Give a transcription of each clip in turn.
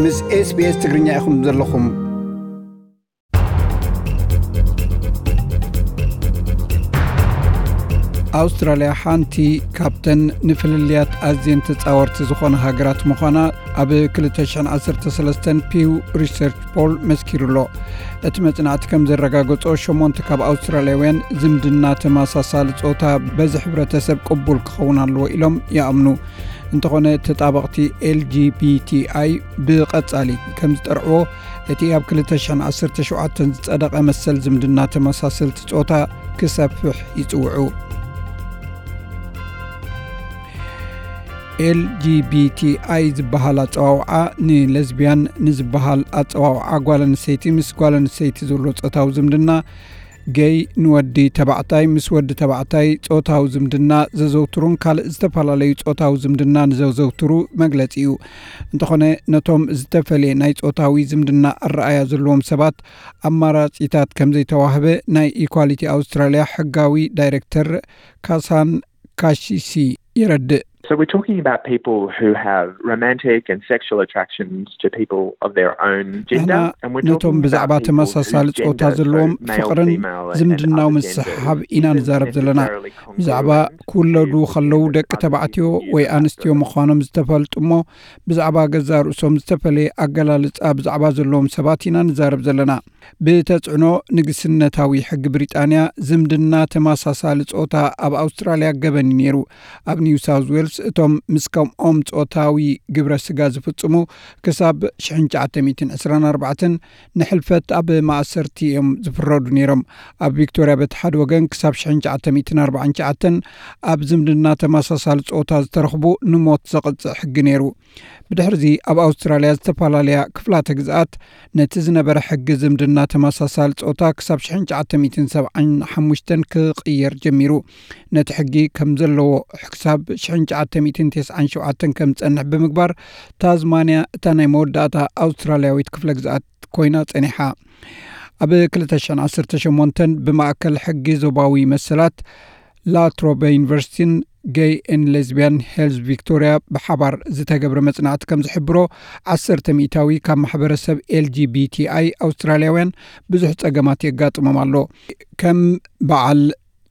ምስ SBS ትግርኛ ኢኹም ዘለኹም። ኣውስትራልያ ሓንቲ ካብተን ንፍልልያት ኣዝየን ተጻወርቲ ዝኾነ ሃገራት ምዃና ኣብ ክልተ ሽሕን ዓሰርተ ሰለስተን ፒው ሪሰርች ፖል መስኪሩ ኣሎ። እቲ መጽናዕቲ ከም ዘረጋገጾ፣ ሸሞንተ ካብ ኣውስትራልያውያን ዝምድና ተመሳሳሊ ጾታ በዚ ሕብረተሰብ ቅቡል ክኸውን ኣለዎ ኢሎም ይኣምኑ። እንተኾነ፣ ተጣበቕቲ ኤል ጂ ቢ ቲ ኣይ ብቐጻሊ ከም ዝጠርዕዎ፣ እቲ ኣብ ክልተ ሽሕን ዓሰርተ ሸውዓተን ዝጸደቐ መሰል ዝምድና ተመሳሰልቲ ጾታ ክሰፍሕ ይጽውዑ። ኤል ጂ ቢ ቲ ኣይ ዝበሃል ኣጸዋውዓ፣ ንለዝቢያን ንዝበሃል ኣጸዋውዓ ጓል ኣንስተይቲ ምስ ጓል ኣንስተይቲ ዘሎ ጾታዊ ዝምድና፣ ገይ ንወዲ ተባዕታይ ምስ ወዲ ተባዕታይ ጾታዊ ዝምድና ዘዘውትሩን ካልእ ዝተፈላለዩ ጾታዊ ዝምድና ንዘዘውትሩ መግለጺ እዩ። እንተኾነ፣ ነቶም ዝተፈልየ ናይ ጾታዊ ዝምድና ኣረኣያ ዘለዎም ሰባት ኣማራጺታት ከም ዘይተዋህበ ናይ ኢኳሊቲ ኣውስትራልያ ሕጋዊ ዳይሬክተር ካሳን ካሺሲ የረድእ። So we're talking about people who have romantic and sexual attractions to people of their own ንሕና gender, and we're ነቶም talking ብዛዕባ about people ተመሳሳሊ whose ጾታ gender ዘለዎም so male, ፍቕርን female, and ዝምድናዊ other ምስሕሓብ genders ኢና isn't ንዛረብ ዘለና። Necessarily ብዛዕባ congruent ክውለዱ to ከለዉ the ደቂ other ተባዕትዮ ወይ ኣንስትዮ ምዃኖም ዝተፈልጡ እሞ ብዛዕባ ገዛ ርእሶም ዝተፈለየ ኣገላልጻ ብዛዕባ ዘለዎም ሰባት ኢና ንዛረብ ዘለና። ብተጽዕኖ ንግስነታዊ ሕጊ ብሪጣንያ፣ ዝምድና ተመሳሳሊ ጾታ ኣብ ኣውስትራልያ ገበን እዩ ነይሩ። ኣብ ኒው ሳውዝ ዌልስ፣ እቶም ምስ ከምኦም ጾታዊ ግብረ ስጋ ዝፍጽሙ ክሳብ ሽሕን ትሽዓተ ሚእትን ዕስራን ኣርባዕተን ንሕልፈት ኣብ ማእሰርቲ እዮም ዝፍረዱ ነይሮም። ኣብ ቪክቶርያ፣ በቲ ሓደ ወገን፣ ክሳብ ሽሕን ትሽዓተ ሚእትን ኣርባዓን ትሽዓተን ኣብ ዝምድና ተመሳሳሊ ጾታ ዝተረኽቡ ንሞት ዘቕጽዕ ሕጊ ነይሩ። ብድሕርዚ ኣብ ኣውስትራልያ ዝተፈላለያ ክፍላተ ግዝኣት ነቲ ዝነበረ ሕጊ ዝምድና ተመሳሳሊ ጾታ ክሳብ ሽሕን ትሽዓተ ሚእትን ሰብዓን ሓሙሽተን ክቕየር ጀሚሩ። ነቲ ሕጊ ከም ዘለዎ ክሳብ ሽሕን ትሽዓተ ሚእትን ተስዓን ሸውዓተን ከም ዝጸንሕ ብምግባር፣ ታዝማንያ እታ ናይ መወዳእታ ኣውስትራልያዊት ክፍለ ግዝኣት ኮይና ጸኒሓ። ኣብ ክልተ ሽሕን ዓሰርተ ሸሞንተን ብማእከል ሕጊ ዞባዊ መሰላት ላትሮበ ዩኒቨርሲቲን ገይ ኤን ሌዝቢያን ሄልዝ ቪክቶርያ ብሓባር ዝተገብረ መጽናዕቲ ከም ዝሕብሮ፣ ዓሰርተ ሚእታዊ ካብ ማሕበረሰብ ኤል ጂ ቢ ቲ ኣይ ኣውስትራልያውያን ብዙሕ ጸገማት የጋጥሞም ኣሎ። ከም በዓል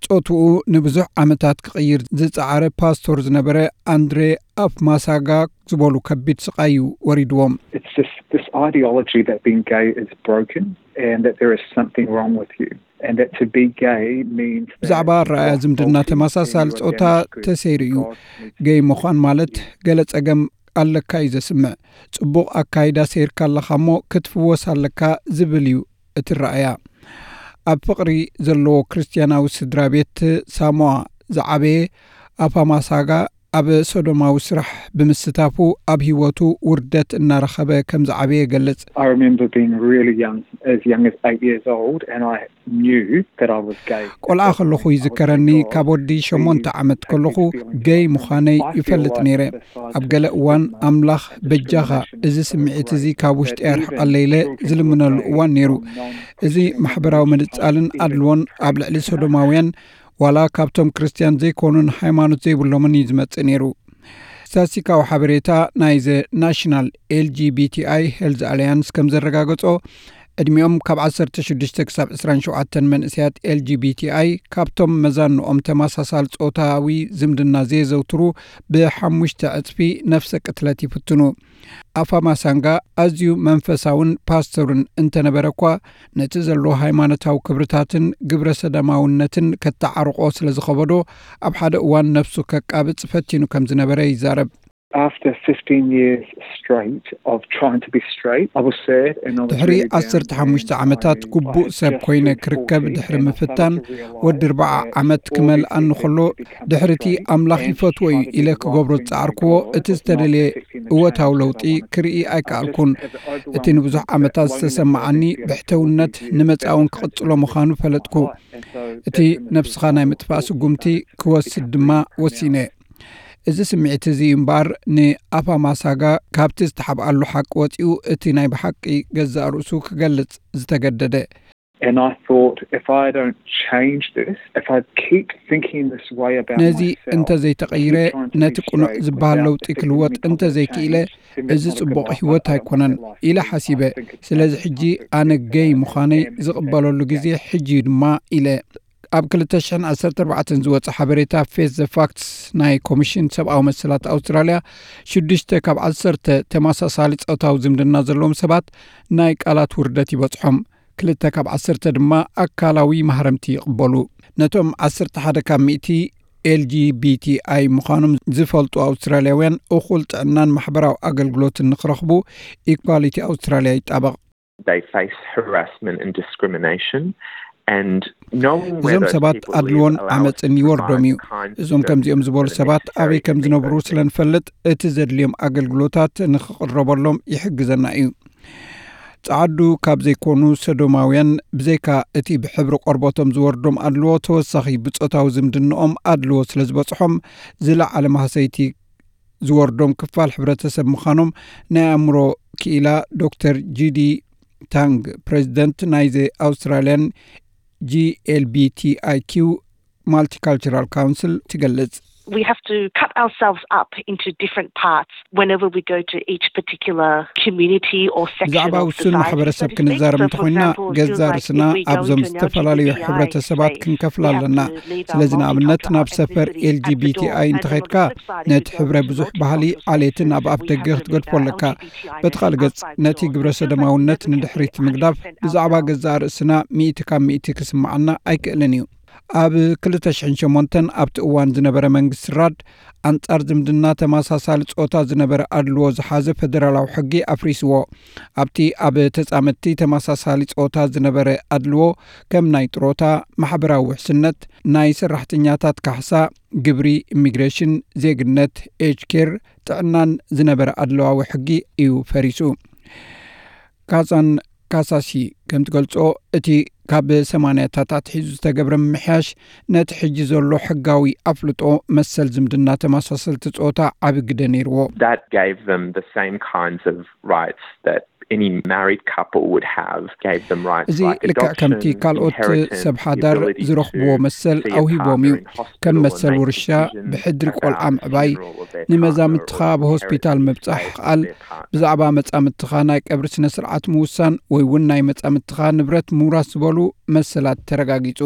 ጾትኡ ንብዙሕ ዓመታት ክቕይር ዝጸዓረ ፓስቶር ዝነበረ ኣንድሬ ኣፍማሳጋ ዝበሉ ከቢድ ስቓይ እዩ ወሪድዎም። It's just this ideology that being gay is broken and that there is something wrong with you, and that to be gay means that ብዛዕባ ኣረኣያ ዝምድና ተመሳሳሊ ጾታ ተሰይሩ እዩ። ገይ ምዃን ማለት ገለ ጸገም ኣለካ እዩ ዘስምዕ። ጽቡቕ ኣካይዳ ሰይርካ ኣለኻ እሞ ክትፍወስ ኣለካ ዝብል እዩ እቲ ረኣያ። ኣብ ፍቕሪ ዘለዎ ክርስትያናዊ ስድራ ቤት ሳሞኣ ዝዓበየ ኣፋማሳጋ፣ ኣብ ሶዶማዊ ስራሕ ብምስታፉ ኣብ ህይወቱ ውርደት እናረኸበ ከም ዝዓበየ ይገልጽ። I remember being really young, as young as eight years old, and I knew that I was gay. ቆልዓ ከለኹ ይዝከረኒ፣ ካብ ወዲ ሸሞንተ ዓመት ከለኹ ገይ ምዃነይ ይፈልጥ ነይረ። ኣብ ገለ እዋን፣ "ኣምላኽ በጃኻ፣ እዚ ስምዒት እዚ ካብ ውሽጢ ኣርሕቐለይ" ኢለ ዝልምነሉ እዋን ነይሩ። እዚ ማሕበራዊ ምንጻልን ኣድልዎን ኣብ ልዕሊ ሶዶማውያን፣ ዋላ ካብቶም ክርስትያን ዘይኮኑን ሃይማኖት ዘይብሎምን እዩ ዝመጽእ ነይሩ። ስታትስቲካዊ ሓበሬታ ናይ ዘ ናሽናል ኤል ጂ ቢ ቲ ኣይ ሄልዝ ኣልያንስ ከም ዘረጋገጾ፣ ዕድሚኦም ካብ ዓሰርተ ሽዱሽተ ክሳብ ዕስራን ሸውዓተን መንእሰያት ኤል ጂ ቢ ቲ ኣይ ካብቶም መዛንኦም ተመሳሳሊ ጾታዊ ዝምድና ዘየዘውትሩ ብሓሙሽተ ዕጽፊ ነፍሰ ቅትለት ይፍትኑ። ኣፋማሳንጋ ኣዝዩ መንፈሳውን ፓስተርን እንተነበረ እኳ፣ ነቲ ዘሎ ሃይማኖታዊ ክብርታትን ግብረ ሰደማውነትን ከተዓርቆ ስለ ዝኸበዶ፣ ኣብ ሓደ እዋን ነፍሱ ከቃብጽ ፈቲኑ ከም ዝነበረ ይዛረብ። After fifteen years straight of trying to be straight, I was sad and I was ድሕሪ really down ዓሰርተ ሓሙሽተ and ዓመታት I ግቡእ had ሰብ just ኮይነ moved ክርከብ forty ድሕሪ and I ምፍታን፣ started to realize ወዲ ኣርባዓ that ዓመት all ክመልኣኒ this ከሎ፣ effort to become ድሕሪ እቲ straight ኣምላኽ and ይፈትዎ እዩ trying to ኢለ be ክገብሮ right ዝጸዓርክዎ፣ with እቲ God was ዝተደልየ not affecting the እወታዊ changes that I ለውጢ wanted to ክርኢ make. I just ኣይከኣልኩን። had the እቲ overwhelming ንብዙሕ sense ዓመታት that loneliness ዝተሰማዓኒ wasn't the ብሕትውነት ንመጻእውን ክቕጽሎ ምዃኑ ፈለጥኩ። እቲ ነብስኻ ናይ ምጥፋእ ስጉምቲ ክወስድ ድማ ወሲነ። እዚ ስምዒት እዚ እምበኣር፣ ንኣፋማሳጋ ካብቲ ዝተሓብኣሉ ሓቂ ወጺኡ፣ እቲ ናይ ብሓቂ ገዛእ ርእሱ ክገልጽ ዝተገደደ። And I thought, if I don't change this, if I keep thinking this way about ነዚ myself, እንተዘይተቐይረ፣ ነቲ ቅኑዕ ዝበሃል ለውጢ ክልወጥ እንተዘይክኢለ፣ እዚ ጽቡቕ ህይወት ኣይኮነን ኢለ ሓሲበ። ስለዚ ሕጂ ኣነ ገይ ምዃነይ ዝቕበለሉ ግዜ ሕጂ እዩ ድማ ኢለ። ኣብ ክልተ ሽሕን ዓሰርተ ኣርባዕተን ዝወጸ ሓበሬታ ፌስ ዘ ፋክትስ ናይ ኮሚሽን ሰብኣዊ መሰላት ኣውስትራልያ፣ ሽዱሽተ ካብ ዓሰርተ ተመሳሳሊ ጾታዊ ዝምድና ዘለዎም ሰባት ናይ ቃላት ውርደት ይበጽሖም። ክልተ ካብ ዓሰርተ ድማ ኣካላዊ ማህረምቲ ይቕበሉ። ነቶም ዓሰርተ ሓደ ካብ ሚእቲ ኤልጂቢቲኣይ ምዃኖም ዝፈልጡ ኣውስትራልያውያን፣ እኹል ጥዕናን ማሕበራዊ ኣገልግሎትን ንክረኽቡ ኢኳሊቲ ኣውስትራልያ ይጣበቕ። They face harassment and discrimination, and knowing እዞም ሰባት ኣድልዎን ዓመፅን ይወርዶም እዩ። እዞም ከምዚኦም ዝበሉ ሰባት ኣበይ ከም ዝነብሩ ስለ ንፈልጥ፣ እቲ ዘድልዮም ኣገልግሎታት ንክቕረበሎም ይሕግዘና እዩ። ጸዓዱ ካብ ዘይኮኑ ሰዶማውያን፣ ብዘይካ እቲ ብሕብሪ ቆርበቶም ዝወርዶም ኣድልዎ፣ ተወሳኺ ብጾታዊ ዝምድንኦም ኣድልዎ ስለ ዝበጽሖም፣ ዝለዓለ ማህሰይቲ ዝወርዶም ክፋል ሕብረተሰብ ምዃኖም ናይ ኣእምሮ ክኢላ ዶክተር ጂዲ ታንግ፣ ፕሬዚደንት ናይ ዘ ኣውስትራልያን ጂኤልቢቲኣይኪው ማልቲካልቸራል ካውንስል ትገልጽ። We have to cut ourselves up into different parts whenever we go to each particular community or section ብዛዕባ of ውሱን society. ማሕበረሰብ ክንዛረብ እንተኾይና፣ ገዛ ርእስና ኣብዞም ዝተፈላለዩ ሕብረተሰባት ክንከፍላ ኣለና። ስለዚ ንኣብነት ናብ ሰፈር ኤልጂቢቲኣይ እንተኸድካ፣ ነቲ ሕብረ ብዙሕ ባህሊ ዓሌትን ኣብ ኣፍ ደገ ክትገድፎ ኣለካ። በቲ ካልእ ገጽ፣ ነቲ ግብረ ሰዶማውነት ንድሕሪት ምግዳፍ ብዛዕባ ገዛ ርእስና ሚእቲ ካብ ሚእቲ ክስምዓና ኣይክእልን እዩ። ኣብ ክልተ ሽሕን ሸሞንተን ኣብቲ እዋን ዝነበረ መንግስቲ ራድ፣ ኣንጻር ዝምድና ተመሳሳሊ ጾታ ዝነበረ ኣድልዎ ዝሓዘ ፈደራላዊ ሕጊ ኣፍሪስዎ። ኣብቲ ኣብ ተጻመድቲ ተመሳሳሊ ጾታ ዝነበረ ኣድልዎ፣ ከም ናይ ጥሮታ፣ ማሕበራዊ ውሕስነት፣ ናይ ሰራሕተኛታት ካሕሳ፣ ግብሪ፣ ኢሚግሬሽን፣ ዜግነት፣ ኤጅ ኬር፣ ጥዕናን ዝነበረ ኣድለዋዊ ሕጊ እዩ ፈሪሱ። ካዛን ካሳሲ ከም ትገልጾ፣ እቲ ካብ ሰማንያታት ኣትሒዙ ዝተገብረ ምምሕያሽ፣ ነቲ ሕጂ ዘሎ ሕጋዊ ኣፍልጦ መሰል ዝምድና ተመሳሰልቲ ጾታ ዓቢ ግደ ነይርዎ። That gave them the same kinds of rights that any married couple would have, gave them rights እዚ like ልክዕ adoption, ከምቲ ካልኦት inheritance, ሰብ ሓዳር the ability ዝረኽብዎ to መሰል see a ኣውሂቦም partner እዩ። in hospital ከም and መሰል make ውርሻ፣ decisions ብሕድሪ about ቆልዓ the ምዕባይ፣ funeral of their ንመዛምትኻ partner or ኣብ ሆስፒታል inheritance ምብጻሕ based on ክኣል፣ their partner. ብዛዕባ መጻምትኻ ናይ ቀብሪ ስነ ስርዓት ምውሳን ወይ እውን ናይ መጻምትኻ ንብረት ምውራስ ዝበሉ መሰላት ተረጋጊጹ።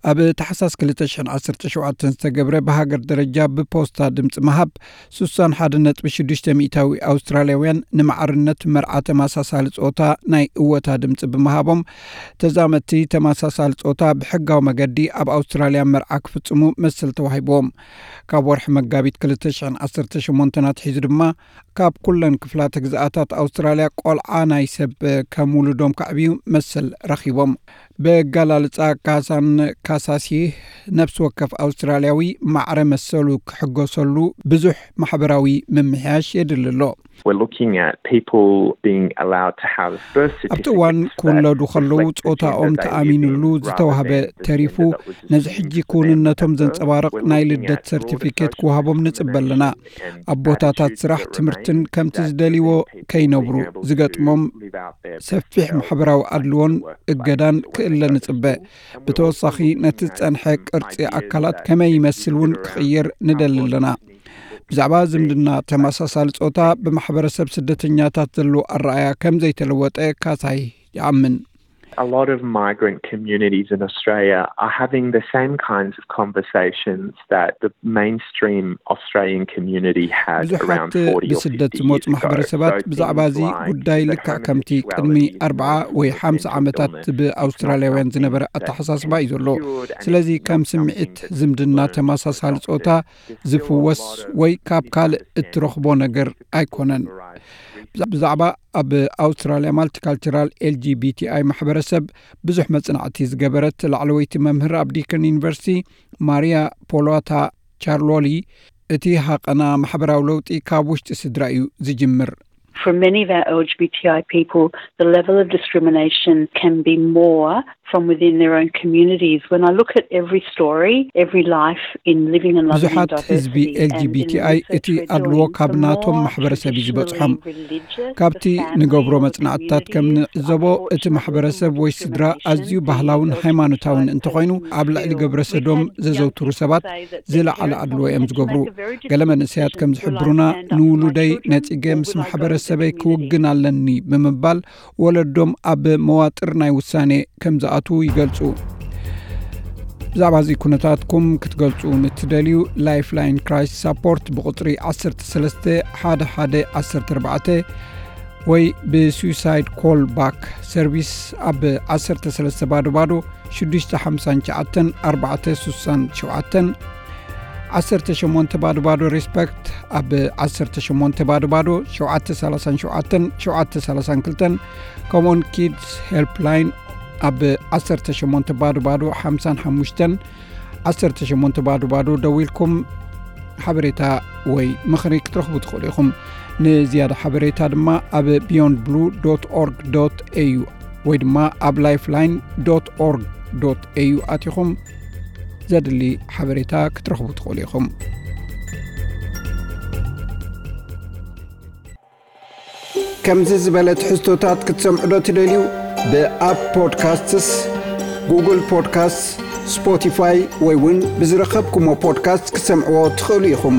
ኣብ ታሕሳስ ክልተ ሽሕን ዓሰርተ ሸውዓተን ዝተገብረ ብሃገር ደረጃ ብፖስታ ድምፂ ምሃብ፣ ስሳን ሓደ ነጥቢ ሽዱሽተ ሚእታዊ ኣውስትራልያውያን ንማዕርነት መርዓ ተመሳሳሊ ጾታ ናይ እወታ ድምፂ ብምሃቦም፣ ተዛመድቲ ተመሳሳሊ ጾታ ብሕጋዊ መገዲ ኣብ ኣውስትራልያ መርዓ ክፍጽሙ መሰል ተዋሂብዎም። ካብ ወርሒ መጋቢት ክልተ ሽሕን ዓሰርተ ሸሞንተን ኣትሒዙ ድማ፣ ካብ ኩለን ክፍላተ ግዝኣታት ኣውስትራልያ ቆልዓ ናይ ሰብ ከም ውሉዶም ከዕብዩ መሰል ረኺቦም። ብኣገላልጻ ካሳን ካሳሲ፣ ነፍሲ ወከፍ ኣውስትራልያዊ ማዕረ መሰሉ ክሕገሰሉ ብዙሕ ማሕበራዊ ምምሕያሽ የድሊ ኣሎ። We're looking at people being allowed to have birth ኣብቲ እዋን certificates ክውለዱ that ከለዉ reflect the gender ጾታኦም that they live ተኣሚንሉ in rather ዝተዋህበ than the ተሪፉ፣ gender that was ነዚ used ሕጂ for them ክውንነቶም at birth. ዘንጸባርቕ We're ናይ looking ልደት at broader ሰርቲፊኬት ክወሃቦም ንጽበ ኣለና። discrimination and ኣቦታታት bad ስራሕ፣ gender ትምህርትን based ከምቲ that ዝደልይዎ prevent people ከይነብሩ being able to ዝገጥሞም live out their best ሰፊሕ selves, ማሕበራዊ like ኣድልዎን the workplace እገዳን or ክእለ going back to ንጽበ። school. And we're ብተወሳኺ also looking ነቲ at ዝጸንሐ some ቅርጺ ideas ኣካላት that ከመይ could be ይመስል እውን considered around ክቕየር how ንደሊ body ኣለና። needs to look ብዛዕባ and ዝምድና things like ተመሳሳሊ ጾታ ብማሕበረሰብ ስደተኛታት ዘሎ ኣረኣያ ከም ዘይተለወጠ ካሳይ ይኣምን። A lot of migrant communities in Australia are having the same kinds of conversations that the mainstream Australian community had around ብዙሓት forty or ብስደት fifty ዝመፁ years ago. ማሕበረሰባት So ብዛዕባ things እዚ like ጉዳይ the ልክዕ ከምቲ homosexuality ቅድሚ is no ኣርብዓ longer ወይ just a ሓምሳ mental ዓመታት illness, it's ብኣውስትራልያውያን something ዝነበረ that's ኣተሓሳስባ እዩ ዘሎ። cured and ስለዚ it's not ከም something ስምዒት ዝምድና that's ተመሳሳሊ doctors. ጾታ ዝፍወስ ወይ ካብ ካልእ እትረኽቦ ነገር ኣይኮነን። ብዛዕባ ኣብ ኣውስትራልያ ማልቲካልቸራል ኤልጂቢቲኣይ ማሕበረሰብ ብዙሕ መጽናዕቲ ዝገበረት ላዕለወይቲ መምህር ኣብ ዲከን ዩኒቨርሲቲ ማሪያ ፖሎታ ቻርሎሊ፣ እቲ ሃቐና ማሕበራዊ ለውጢ ካብ ውሽጢ ስድራ እዩ ዝጅምር። For many of our L G B T I people, the level of discrimination can be more from within their own communities. When I look at every story, every life in living and loving in ብዙሓት ህዝቢ diversity and in ኤልጂቢቲኣይ research እቲ we're ኣድልዎ doing, ካብ the ናቶም more ማሕበረሰብ እዩ ዝበፅሖም። traditionally religious, ካብቲ the family ንገብሮ or the መፅናዕትታት ከም community, ንዕዘቦ እቲ unfortunately, ማሕበረሰብ ወይ ስድራ discrimination ኣዝዩ being ባህላውን felt ሃይማኖታውን by እንተኾይኑ people ኣብ ልዕሊ still. ግብረ ሰዶም We've had ዘዘውትሩ young ሰባት people say that ዝለዓለ ኣድልዎ እዮም ዝገብሩ። ገለ መንእሰያት ከም ዝሕብሩና ንውሉደይ ነጺገ ምስ ማሕበረሰበይ ክውግን ኣለኒ ብምባል ወለዶም ኣብ መዋጥር ናይ ውሳኔ ከም ዝኣትዉ ይገልጹ። ብዛዕባ እዚ ኩነታትኩም ክትገልጹ ንትደልዩ፣ ላይፍላይን ክራይስ ሳፖርት ብቁጽሪ ዓሰርተ ሰለስተ ሓደ ሓደ ዓሰርተ ኣርባዕተ ወይ ብሱሳይድ ኮል ባክ ሰርቪስ ኣብ ዓሰርተ ሰለስተ ባዶ ባዶ ሽዱሽተ ሓምሳን ትሽዓተን ኣርባዕተ ሱሳን ሸውዓተን፣ ዓሰርተ ሸሞንተ ባዶ ባዶ ሪስፐክት ኣብ ዓሰርተ ሸሞንተ ባዶ ባዶ ሸውዓተ ሰላሳን ሸውዓተን ሸውዓተ ሰላሳን ክልተን፣ ከምኡውን ኪድስ ሄልፕላይን ኣብ ዓሰርተ ሸሞንተ ባዶ ባዶ ሓምሳን ሓሙሽተን ዓሰርተ ሸሞንተ ባዶ ባዶ ደዊልኩም ሓበሬታ ወይ ምኽሪ ክትረኽቡ ትኽእሉ ኢኹም። ንዝያዳ ሓበሬታ ድማ ኣብ ቢዮንድ ብሉ ዶት ኦርግ ዶት ኤዩ ወይ ድማ ኣብ ላይፍላይን ዶት ኦርግ ዶት ኤዩ ኣቲኹም ዘድሊ ሓበሬታ ክትረኽቡ ትኽእሉ ኢኹም። ከምዚ ዝበለ ትሕዝቶታት ክትሰምዑ ዶ ትደልዩ? ብኣፕ ፖድካስትስ፣ ጉግል ፖድካስትስ፣ ስፖቲፋይ ወይ እውን ብዝረኸብኩሞ ፖድካስት ክትሰምዕዎ ትኽእሉ ኢኹም።